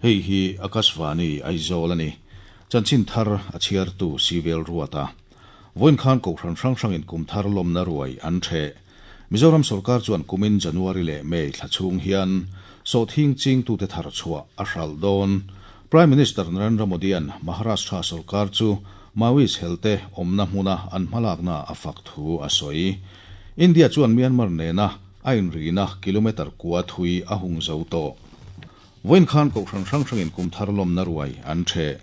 Hei hi Akashvani Aizawl a ni. Chanchin thar a chhiartu Sivel Ruata. Vawiin khan Kohhran hrang hrangin kum thar lawmna ruai an ṭheh. Mizoram sorkar chuan kumin January leh May thla chhung hian sawhthing chingtute thar chhuah a hralh dawn. Prime Minister Narendra Modi-a'n Maharashtra sorkar chu Maoist helte awmna hmuna an hmalakna a fak thu a sawi. India chuan Myanmar nena a inrina kilometre kua thui a hung zo tawh. Vawiin khan Kohhran hrang hrangin kum thar lawmna ruai an ṭheh.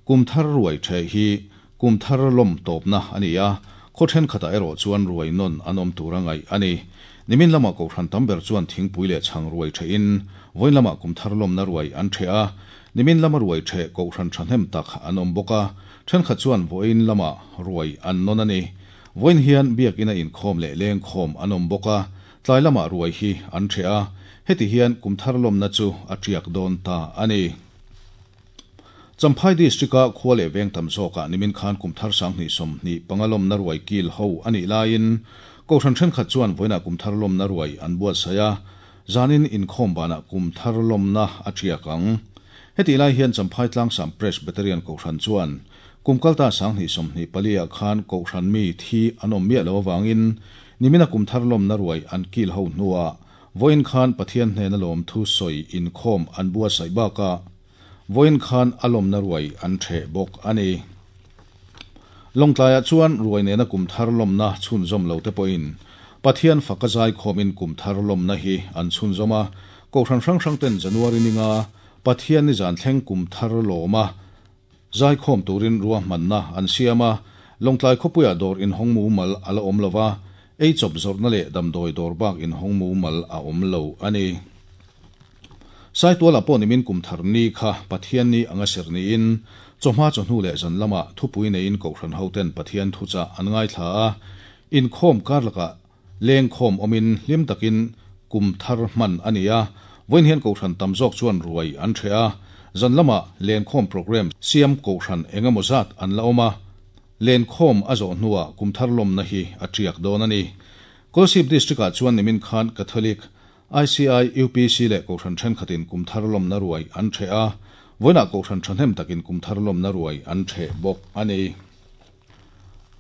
Kum thar ruai ṭheh hi kum thar lawm tawpna a ni a, khaw ṭhenkhatah erawh chuan ruai nawn an awm tura ngaih a ni. Nimin lamah Kohhran tam ber chuan thingpui leh chhang ruai ṭhehin vawiin lamah kum thar lawmna ruai an ṭheh a, nimin lama ruai ṭheh Kohhran ṭhahnem tak an awm bawk a, ṭhenkhat chuan vawiin lamah ruai an nawn a ni. Vawiin hian biakina inkhawm leh lengkhawm an awm bawk a, tlai lamah ruai hi an ṭheh a, heti hian kum thar lawmna chu a ṭiak dawn ta a ni. Champhai District-a khua leh veng tam zawkah nimin khan kum thar 2025 lawmna ruai kil ho a nih laiin Kohhran thenkhat chuan vawiinah kum thar lawmna ruai an buatsaih a, zanin inkhawm banah kum thar lawmna a tiak ang. Hetih lai hian Champhai Tlangsam Presbyterian Kohhran chuan kum kalta 2024 ah khan Kohhran mi thi an awm miah lo avangin nimina kum thar lawmna ruai an kil ho hnuah Vawiin khan Pathian hnena lawmthu sawi inkhawm an buatsaih bakah vawiin khan a lawmna ruai an ṭheh bawk a ni. Lawngtlaiah chuan ruai nena kum thar lawmna chhunzawm lo te pawhin Pathian faka zaikhawmin kum thar lawmna hi an chhunzawm a, Kohhran hrang hrang ten January ninga Pathian nizan thleng kum thar lawma zaikhawm turin ruahmanna an siam a, Lawngtlai khawpuiah dawr inhawng mumal a la awm lo va, ei chawp zawrhna leh damdawi dawr bak inhawng mumal a awm lo a ni. Saitualah pawh nimin kum thar ni kha Pathian ni anga serh niin, chawhma chawhnu leh zan lamah thupui neiin Kohhran hoten Pathian thuchah an ngaithla a, inkhawm kar lakah Lengkhawm awmin hlim takin kum thar hman a ni a, vawiin hian Kohhran tam zawk chuan ruai an ṭheh a, zan lamah lenkhawm programme siam Kohhran eng emaw zat an la awm a, lenkhawm a zawh hnuah kum thar lawmna hi a ṭiak dawn a ni. Kolasib District-ah chuan nimin khan Catholic, ICI, UPC leh Kohhran ṭhenkhatin kum thar lawmna ruai an ṭheh a, vawiinah Kohhran ṭhahnem takin kum thar lawmna ruai an ṭheh bawk a ni.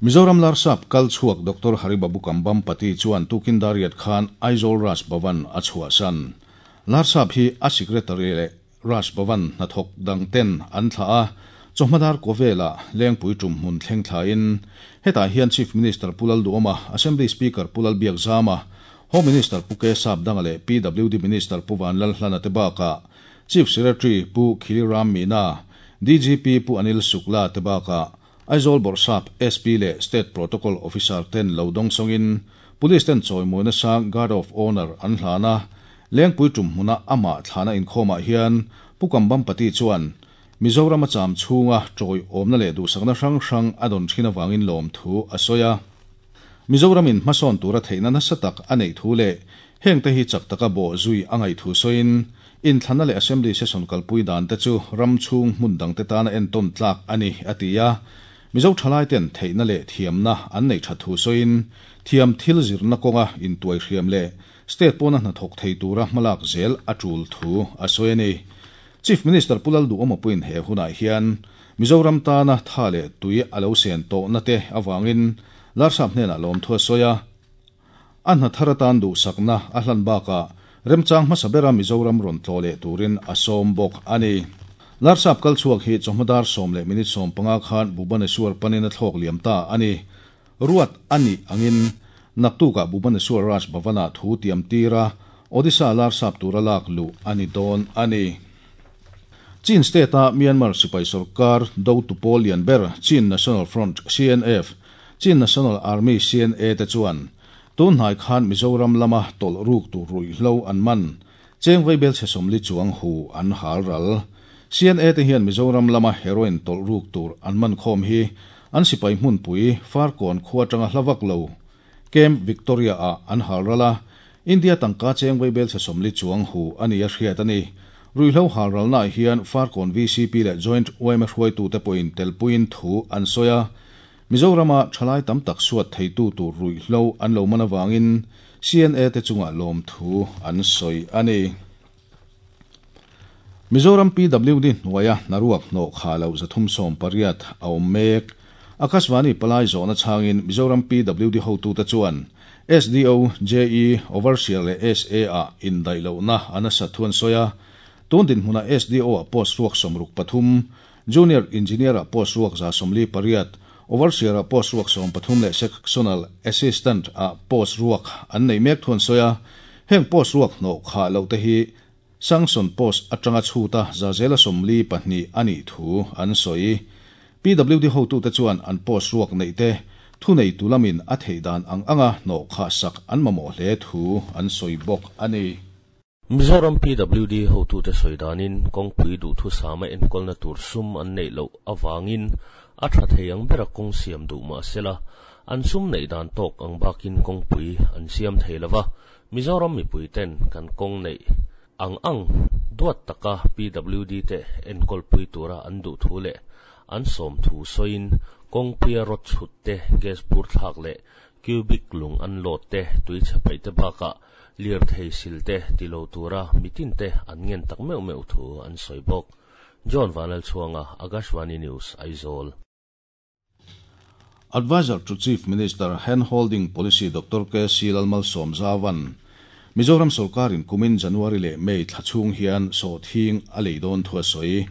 Mizoram Larsap kal chhuak Doctor Haribabu Kambam Pati chuan tukin Dariat khan Aizawl Raj Bhavan a chhuahsan. Larsap hi a Secretary leh Raj Bhavan hnathawk dang ten an thlah a, chawhmadar Kawvela Lengpui tum hmun thleng thlain hetah hian Chief Minister Pu Lalduhawma, Assembly Speaker Pu Lalbiakzama, Home Minister Pu K Sapdanga leh PWD Minister Pu Vanlalhlana te bakah Chief Secretary Pu Khiliram Meena, DGP Pu Anil Shukla te bakah Aizawl Bawrhsap, SP leh State Protocol Officer ten lo dawng sawngin Police ten chawimawina sang Guard of Honour an hlan a, Lengpui tum hmuna amah thlana inkhawmah hian Pu Kambam Pati chuan Mizoram a cham chhunga tawiawmna leh duhsakna hrang hrang a dawn thin avangin lawmthu a sawi a. Mizoramin hmasawn tura theihna nasa tak a neih thu leh hengte hi chak taka bawh zui a ngaih thu sawiin Inthlanna leh Assembly session kalpui dan te chu ram chhung hmun dangte tana entawn tlak a ni, a ti a. Mizo thalaiten theihna leh thiamna an neih that thu sawiin, thiam thil zirna kawnga intuai hriam leh state pawna hnathawk thei tura hmalak zel a tul thu a sawi a ni. Chief Minister Pu Lalduhawma puiin he hunah hian Mizoram tana tha leh tui a lo sen tawhna te avangin Larsap hnenah lawmthu a sawi a. A hna thar atan duhsakna a hlan bakah remchang hmasa bera Mizoram rawn tlawh leh turin a sawm bawk a ni. Larsap kal chhuak hi chawhma dar sawm leh minute 15 khan Bhubaneswar panin a thlawk liam ta a ni. Ruat a nih angin naktukah Bhubaneswar Raj Bhavan-ah thu tiam tir a, Odisha Larsap tura lak luh a ni dawn a ni. Chin State-a Myanmar sipai sorkar dotu pawl lian ber Chin National Front, CNF, Chin National Army, CNA, te chuan tun hnai khan Mizoram lama tawlh ruk tur ruihhlo an man cheng vaibel chhe 40 chuang hu an hal ral. CNA te hian Mizoram lama heroin tawlh ruk tur an man khawm hi an sipai hmunpui Farkawn khua atanga hla vak lo Camp Victoria ah an hal ral a, India tangka cheng vaibel chhe 40 chuang hu a ni a hriat a ni. Ruihhlo hal ralnaah hian Farkawn VCP leh Joint yma hruaitute pawhin telpuiin thu an sawi a, Mizorama thalai tam tak suat theitu tur ruihhlo an lo man avangin CNA te chungah lawmthu an sawi a ni. Mizoram PWD hnuaia hnaruak hnawh kha loh 380 a awm mek. Akashvani palai zawhna chhangin Mizoram PWD hotute chuan SDO, JE, Overseer leh SA ah indaih lohna a nasat thu an sawi a. Tun dinhmunah SDO ah post ruak 63, Junior Engineer ah post ruak 148, Overseer ah post ruak 13 leh Sectional Assistant ah post ruak an neih mek thu an sawi a. Heng post ruak hnawh khah loh te hi Sanction post atanga chhuta zazela 42 a nih thu an sawi. PWD hotute chuan an post ruak neih te thuneitu lamin a theih dan ang anga hnawh khah sak an mamawh hle thu an sawi bawk a ni. Mizoram PWD hotute sawi danin kawngpui duhthusama enkawlna tur sum an neih loh avangin a tha thei ang bera kawng siam duh mah sela, an sum neih dan tawk ang bakin kawngpui an siam thei lova, Mizoram mipui ten kan kawng neih ang ang duat taka PWD te enkawlpui tura an duh thu leh an sawm thu sawiin kawngpuia rawt chhut te, gas bur thlak leh cubic lung an lawt te, tui chhe paih te bakah lirthei sil te ti lo tura mitin te an ngen tak meuh meuh thu an sawi bawk. John Vanlalchhuanga, Akashvani News, Aizawl. Adviser to Chief Minister Hand Holding Policy Doctor KC Lalmalsawmzauva'n Mizoram sorkarin kumin January leh May thla chhung hian sawhthing a lei dawn thu a sawi.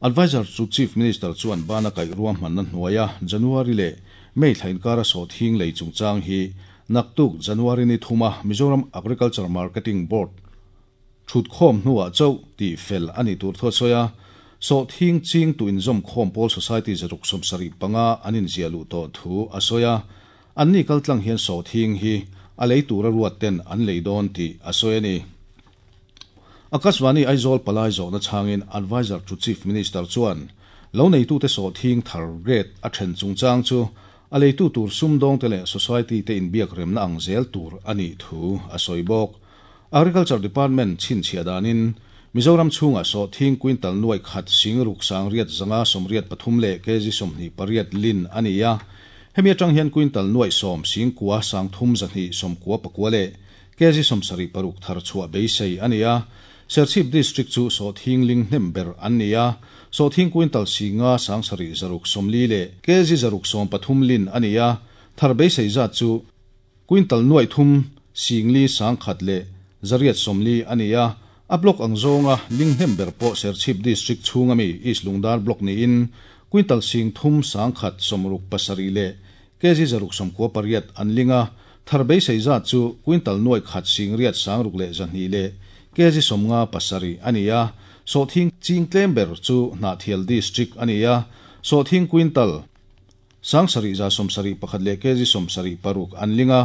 Adviser to Chief Minister chuan bana kaih ruahmanna hnuaia January leh May thla inkara sawhthing lei chungchang hi naktuk January ni thuma Mizoram Agriculture Marketing Board Thutkhawm hnuah chauh tih fel a nih tur thu a sawi a, sawhthing ching tu inzawmkhawm pawl society 675 an inziah luh tawh thu a sawi a, anni kaltlang hian sawhthing hi a lei tura ruat ten an lei dawn tih a sawi a ni. Akashvani Aizawl palai zawhna chhangin Adviser to Chief Minister chuan lo neitute sawhthing thar grade a then chungchang chu a leitu tur sumdawngte leh society te inbiak remna ang zel tur a nih thu a sawi bawk. Agriculture Department chhinchhiah danin Mizoram chhungah sawhthing quintal nuai khat sing ruk sang riat zanga sawmriat pathum leh kg 28 lin a ni a. Hemi atang hian quintal nuai 10 sing kua sang thum zahnih sawmkua pakua leh kg 76 thar chhuah beisei a ni a. Serchhip District chu sawhthing ling hnem ber an ni a. Sawhthing quintal singa sang sarih zaruk 40 leh kg 613 lin a ni a. Thar beisei zat chu quintal nuai thum singli sang khat leh zariat 40 a ni a. A block ang zawnga ling hnem ber pawh Serchhip District chhunga mi East Lungdar block niin quintal sing thum sang khat 67 leh kg 698 an linga. Thar beisei zat chu quintal nuai khat sing riat sang ruk leh zahnih leh kg 57 a ni a. Sawhthing ching tlem ber chu Hnahthial District a ni a. Sawhthing quintal sang sarih za 71 leh kg 76 an linga.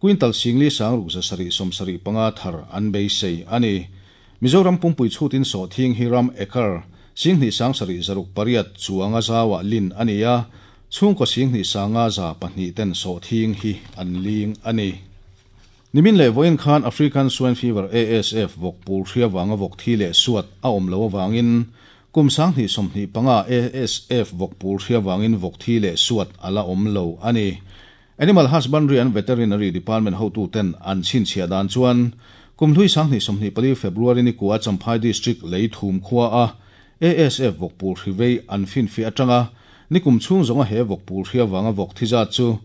Quintal singli sang ruk za sarih 75 thar an beisei a ni. Mizoram pumpui chhutin sawhthing hi ram acre singhnih sang sarih 608 chuanga zawa lin a ni a. Chhungkaw singhnih sanga 200 ten sawhthing hi an ling a ni. Nimin leh vawiin khan African Swine Fever ASF vawk pul hria wanga vawk thi leh suat a awm lo awangin kum 2025 ASF vawk pul hria wangin vawk thi leh suat ala awm lo a ni. Animal Husbandry and Veterinary Department hotu ten an chhinchhiah dan chuan kum hlui 2024 February ni kua Champhai District lei thum khua a ASF vawk pul hri vei an fin fi atanga nikum chhung zawnga he vawk pul hria wanga vawk thi zat chu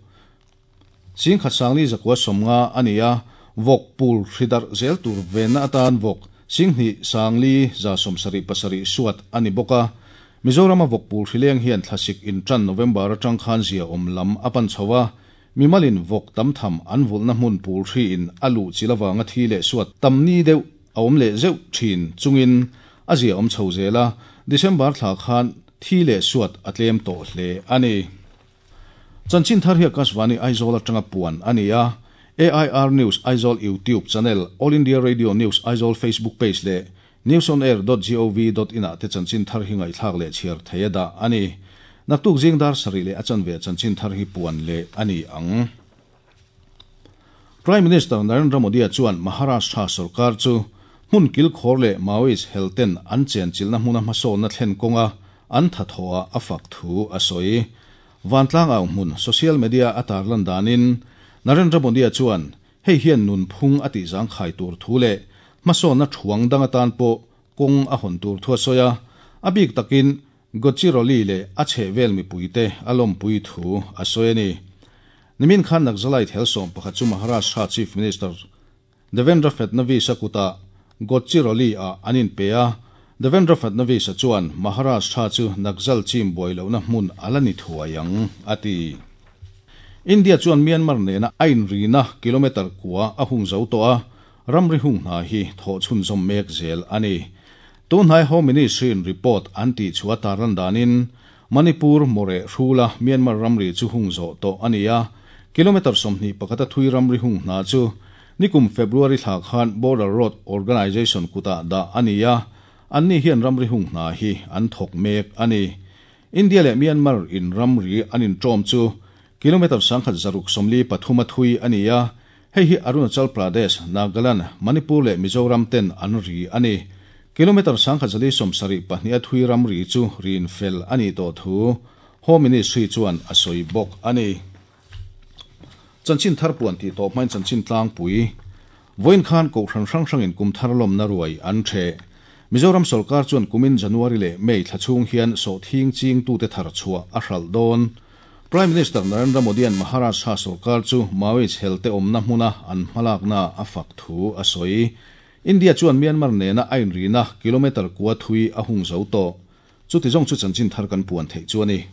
sing khat sangli zakua 50 a ni a. Vawk pul hridar zel tur venna atan vawk singhnih sangli za 77 suat a ni bawk a. Mizorama vawk pul hrileng hian thlasik intan November atang khan zia awm lam a pan chhoa. Mimalin vawk tam tham an vulna hmun pul hri in alu chilawanga thi leh suat tamni deuh a awm leh zeuh thin chungin a zia awm chho zela. December thla khan thi leh suat a tlem tawh hle a ni. Chanchin thar hi Akashvani Aizawl atanga puan a ni a. AIR News Aizawl YouTube channel, All India Radio News Aizawl Facebook page leh newsonair.gov.in ah te chanchin thar hi ngaihthlak leh chhiar thei a dah a ni. Naktuk zingdar sarih leh a chanve chanchin thar hi puan leh a ni ang. Prime Minister Narendra Modi chuan Maharashtra sarkar chu hmun kil khawr leh Maoist helten an chen chilna hmuna hmasawnna thlen kawnga an thathaw a fak thu a sawi. Vantlang au hmun social media a tarlan danin Narendra Modi chuan hei hian nun phung a tih zangkhai tur thu leh hmasawnna thuang dang atan pawh kawng a hawn tur thu a sawi a, a bik takin Gadchiroli leh a chhehvel mipuite a lawmpui thu a sawi a ni. Nimin khan Naxalite hel 11 chu Maharashtra Chief Minister Devendra Fadnavis-a kutah Gadchiroli-ah an inpe a, Devendra Fadnavis-a chuan Maharashtra chu Naxal chim buai lohna hmun a la ni thuai ang, a ti. India chuan Myanmar nena a inrina kilometre kua a hung zo tawh a, ramri hung hna hi thawh chhunzawm mek zel a ni. Tunhnai Home Ministry-in report an tih chhuah tarlan danin Manipur Moreh hrula Myanmar ramri chu hung zawh tawh a ni a, kilometre 21 a thui ramri hung hna chu nikum February thla khan Border Road Organisation kutah dah a ni a, anni hian ramri hung hna hi an thawk mek a ni. India leh Myanmar in ramri an inṭawm chu kilometre 1643 a thui a ni a, hei hi Arunachal Pradesh, Nagaland, Manipur leh Mizoram ten an ri a ni. Kilometre 1472 a thui ramri chu rin fel a nih tawh thu Home Ministry chuan a sawi bawk a ni. Chanchin thar puan tih tawh hmain chanchin tlangpui vawiin khan Kohhran hrang hrangin kum thar lawmna ruai an ṭheh. Mizoram sawrkar chuan kumin January leh May thla chhung hian sawhthing chingtute thar chhuah a hralh dawn. Prime Minister Narendra Modi-a'n Maharashtra sawrkar chu Maoist helte awmna hmuna an hmalakna a fak thu a sawi. India chuan Myanmar nena a inrina kilometre kua thui a hung zo tawh. Chuti zawng chu chanchin thar kan puan theih chu a ni.